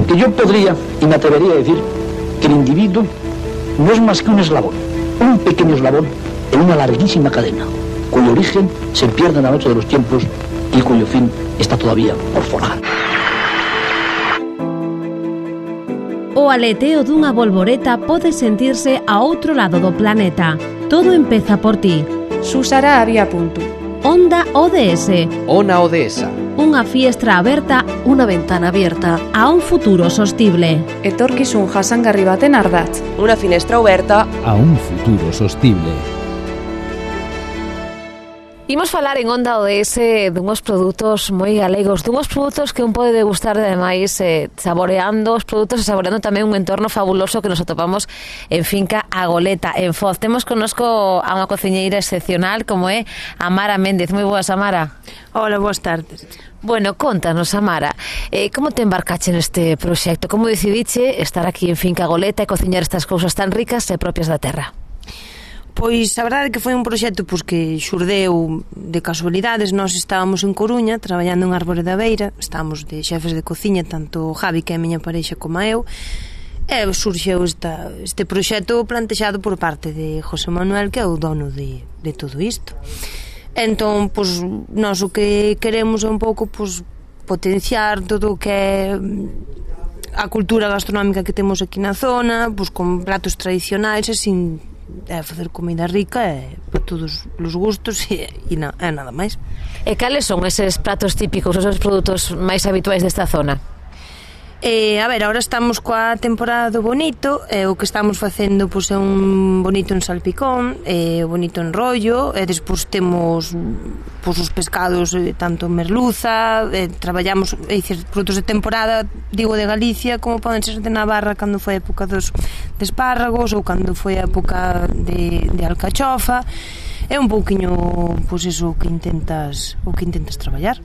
Porque yo podría y me atrevería a decir que el individuo no es más que un eslabón, un pequeño eslabón en una larguísima cadena, cuyo origen se pierde en la noche de los tiempos y cuyo fin está todavía por forjar. O aleteo dunha bolboreta pode sentirse a outro lado do planeta. Todo empeza por ti. Susara había punto. Onda ODS. Ona Odesa. Unha fiestra aberta, unha ventana abierta a un futuro sostible. Etorkizun jasangarri baten ardatz. Unha finestra aberta a un futuro sostible. Imos falar en Onda ODS dunhos produtos moi galegos, dunhos produtos que un pode degustar ademais saboreando os produtos e saboreando tamén un entorno fabuloso que nos atopamos en Finca A Goleta, en Foz. Temos connosco a unha cociñeira excepcional como é Amara Méndez. Moi boas, Amara. Hola, boas tardes. Bueno, contanos, Amara, como te embarcache neste proxecto? Como decidiche estar aquí en Finca A Goleta e cociñar estas cousas tan ricas e propias da terra? Pois a verdade é que foi un proxecto que xurdeu de casualidades. Nós estábamos en Coruña traballando en Árbore da Beira, estábamos de xefes de cociña, tanto Javi, que é a miña parexa, como eu, e surxeu este proxecto plantexado por parte de José Manuel, que é o dono de todo isto. Entón, pois, nós o que queremos é un pouco potenciar todo o que é a cultura gastronómica que temos aquí na zona, con pratos tradicionais e sin facer comida rica para todos os gustos e nada máis. E cales son eses pratos típicos, esos produtos máis habituais desta zona? A ver, agora estamos coa temporada do bonito, o que estamos facendo é un bonito en salpicón, bonito en rollo, e despois temos os pescados, tanto merluza, traballamos produtos de temporada, digo de Galicia, como poden ser de Navarra cando foi a época dos espárragos ou cando foi a época de alcachofa. É un pouquiño iso que intentas traballar.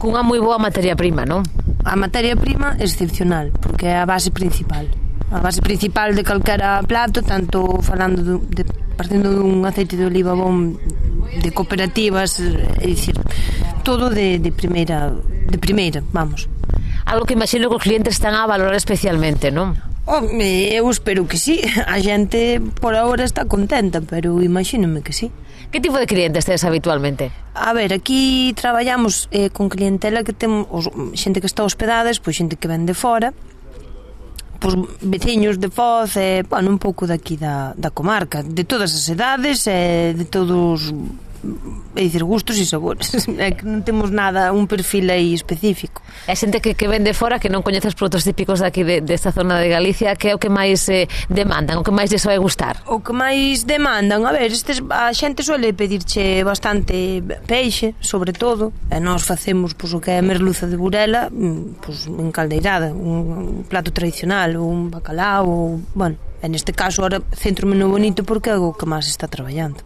Cunha moi boa materia prima, non? A materia prima é excepcional, porque é a base principal. A base principal de calquera plato, tanto falando partindo dun aceite de oliva bon de cooperativas, é dicir, todo de primeira, vamos. Algo que imagino que os clientes están a valorar especialmente, non? Eu espero que sí. A xente por agora está contenta, pero imagínome que sí. Que tipo de clientes tedes habitualmente? A ver, aquí traballamos con clientela que temos xente que está hospedada, pois xente que ven de fora, pois veciños de Foz, un pouco daqui da comarca, de todas as edades e de todos, é dicir, gustos e sabores. É que non temos nada, un perfil aí específico. É xente que ven de fora, que non coñece os produtos típicos daqui desta zona de Galicia, que é o que máis demandan, o que máis lles vai gustar? O que máis demandan, a ver, a xente suele pedirche bastante peixe, sobre todo, e nós facemos o que é merluza de Burela, encaldeirada, un plato tradicional, ou un bacalao, ou, bueno, en este caso ahora centro-me no bonito porque é o que máis está traballando.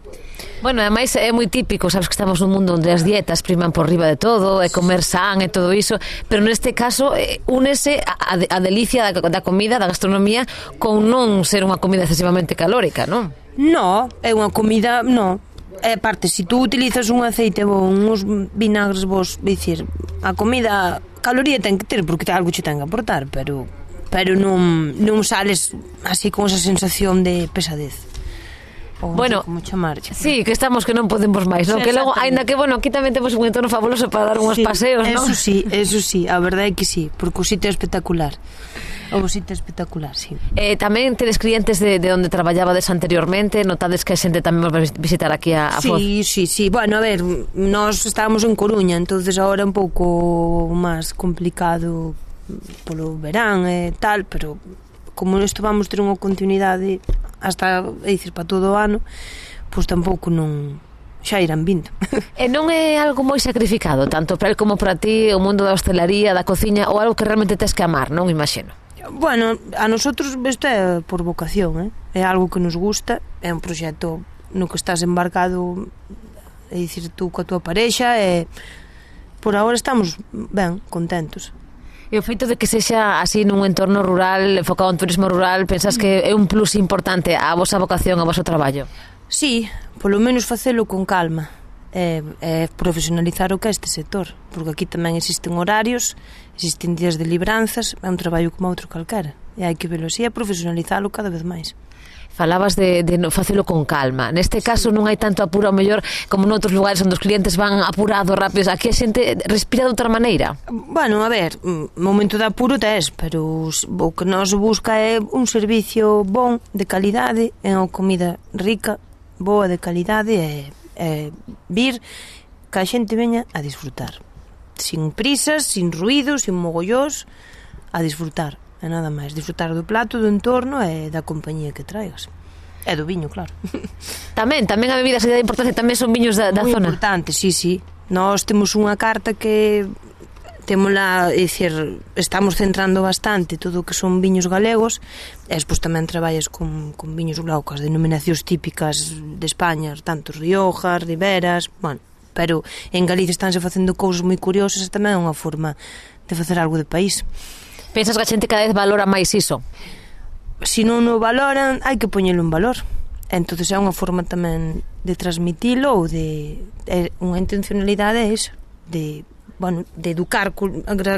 Bueno, ademais é moi típico, sabes que estamos nun mundo onde as dietas priman por riba de todo, e comer san e todo iso, pero neste caso únese a delicia da comida, da gastronomía, con non ser unha comida excesivamente calórica, non? No, é unha comida, no. É parte, se tú utilizas un aceite bon, uns vinagres vos, dicir, a comida caloría ten que ter, porque algo che ten que aportar, pero non sales así con esa sensación de pesadez. Bueno, sí, que estamos que non podemos máis, non? Que logo, aínda que, bueno, aquí tamén temos un entorno fabuloso para dar uns paseos, non? Eso sí, a verdade é que sí, porque o sitio é espectacular. O sitio é espectacular, sí. Tamén tedes clientes de onde traballabades anteriormente, notades que a xente tamén vai visitar aquí a Foz? Sí, bueno, a ver, nós estábamos en Coruña, entonces agora é un pouco máis complicado polo verán e tal, pero como isto vamos ter unha continuidade hasta, é dicir, para todo o ano, pois tampouco non xa irán vindo. E non é algo moi sacrificado, tanto para el como para ti, o mundo da hostelería, da cociña, ou algo que realmente tes que amar, non imagino? Bueno, a nosotros isto é por vocación, é algo que nos gusta, é un proxecto no que estás embarcado, é dicir, tú coa tua parexa, e por agora estamos ben, contentos. E o feito de que sexa así nun entorno rural, enfocado en turismo rural, pensas que é un plus importante a vosa vocación, a voso traballo? Sí, polo menos facelo con calma. é profesionalizar o que é este sector, porque aquí tamén existen horarios, existen días de libranzas, é un traballo como outro calquera, e hai que velo así, é profesionalizalo cada vez máis. Falabas de facelo con calma. Neste caso non hai tanto apuro, ao mellor, como noutros lugares onde os clientes van apurados, rápidos. Aquí a xente respira de outra maneira. Bueno, a ver, momento de apuro tes, pero o que nos busca é un servicio bon, de calidade, é unha comida rica, boa, de calidade, e vir que a xente veña a disfrutar. Sin prisas, sin ruidos, sin mogollós, a disfrutar. E nada máis, disfrutar do plato, do entorno e da compañía que traigas. E do viño, claro. Tamén a bebida se dá importancia, tamén son viños da moi zona. Moi importante, sí. Nós temos unha carta que témola, é dicir, estamos centrando bastante todo o que son viños galegos, e despois tamén traballas con viños glaucas, denominacións típicas de España, tanto Riojas, Riberas, bueno, pero en Galicia estánse facendo cousas moi curiosas, e tamén é unha forma de facer algo de país. Pensas que a xente cada vez valora máis iso? Se non o valoran, hai que poñelo en valor. Entonces é unha forma tamén de transmitilo, ou de unha intencionalidade é iso, de educar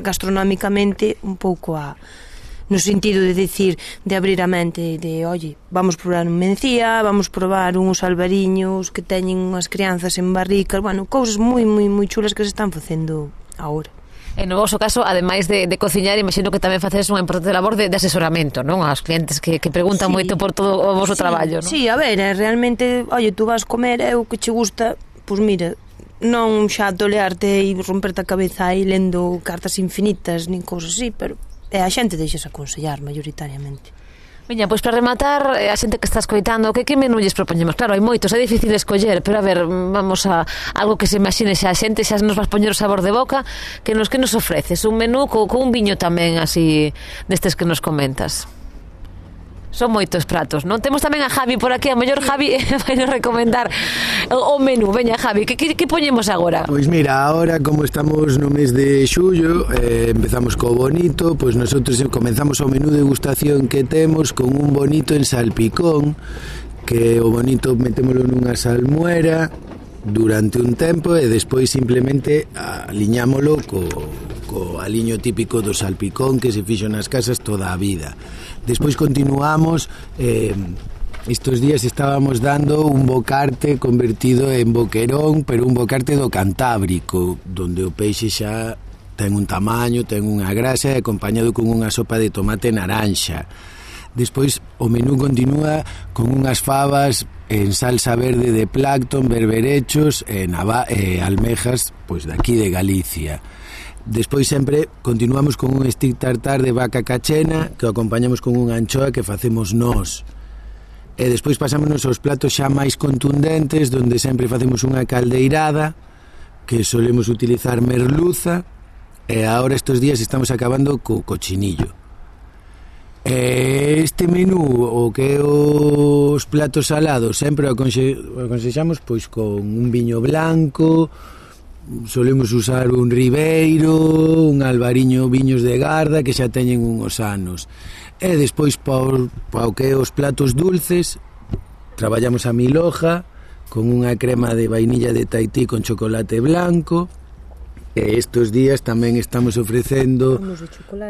gastronómicamente un pouco no sentido de decir, de abrir a mente, de, oye, vamos probar un mencía, vamos probar uns albariños que teñen unhas crianzas en barricas, bueno, cousas moi chulas que se están facendo agora. En no vosso caso, ademais de cociñar, imagino que tamén facedes unha importante labor de asesoramento, non? Aos clientes que preguntan moito por todo o vosso traballo, non? Sí, a ver, realmente, oye, tú vas comer, é o que che gusta, pois mira, non xa tolearte e romperte a cabeza aí lendo cartas infinitas, nin cousas así, pero a xente deixas aconsellar maioritariamente. Veña, pois para rematar, a xente que está escoitando, que menú lles propoñemos? Claro, hai moitos, é difícil escoller, pero a ver, vamos a algo que se imagine xa a xente, xa nos vas poñer o sabor de boca, que nos ofreces? Un menú con un viño tamén así destes que nos comentas. Son moitos pratos, non? Temos tamén a Javi por aquí, a mellor Javi vai nos recomendar o menú. Veña, Javi, que poñemos agora? Pois mira, agora como estamos no mes de xullo, empezamos co bonito, pois nosotros comenzamos o menú de degustación que temos con un bonito en salpicón, que o bonito metémolo nunha salmuera durante un tempo e despois simplemente aliñámolo co aliño típico do salpicón que se fixo nas casas toda a vida. Despois continuamos, estes días estábamos dando un bocarte convertido en boquerón, pero un bocarte do Cantábrico, donde o peixe xa ten un tamaño, ten unha grasa, acompañado con unha sopa de tomate naranxa. Despois o menú continúa con unhas fabas en salsa verde de plancton, berberechos e almejas, pois daqui de Galicia. Despois sempre continuamos con un stick tartar de vaca cachena que o acompañamos con unha anchoa que facemos nós. E despois pasámonos aos platos xa máis contundentes, donde sempre facemos unha caldeirada que solemos utilizar merluza, e agora estes días estamos acabando co cochinillo. Este menú, o que é os platos salados, sempre o aconsexamos pois con un viño blanco. Solemos usar un ribeiro, un albariño, viños de garda que xa teñen uns anos. E despois para o que é os platos dulces, traballamos a milhoja con unha crema de vainilla de Tahití con chocolate blanco. E estes días tamén estamos ofrecendo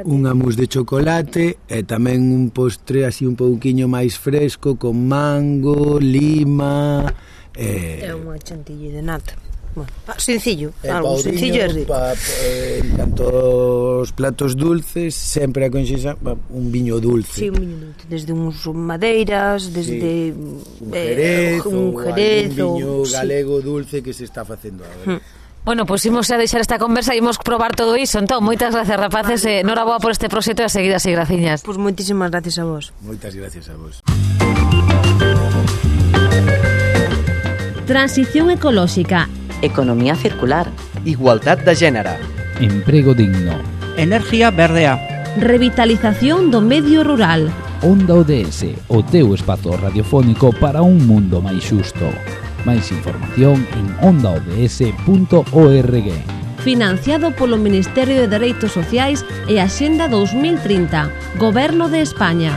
un mousse de chocolate e tamén un postre así un pouquiño máis fresco con mango, lima e unha chantilly de nata. Bueno, sencillo, algo sencillo e rico. En canto aos platos dulces, sempre aconsexa un viño dulce. Sí, un viño dulce, desde uns madeiras, desde un jerez, un viño galego dulce que se está facendo agora. Bueno, pois imos a deixar esta conversa e imos probar todo iso. Entón, moitas gracias, rapaces, noraboa por este proxecto e a seguir así, graciñas. Pois moitísimas gracias a vos. Moitas gracias a vos. Transición ecolóxica. Economía circular. Igualdad de género. Emprego digno. Energía verdea. Revitalización do medio rural. Onda ODS, o teu espazo radiofónico para un mundo máis xusto. Máis información en ondaods.org. Financiado polo Ministerio de Dereitos Sociais e Axenda 2030, Goberno de España.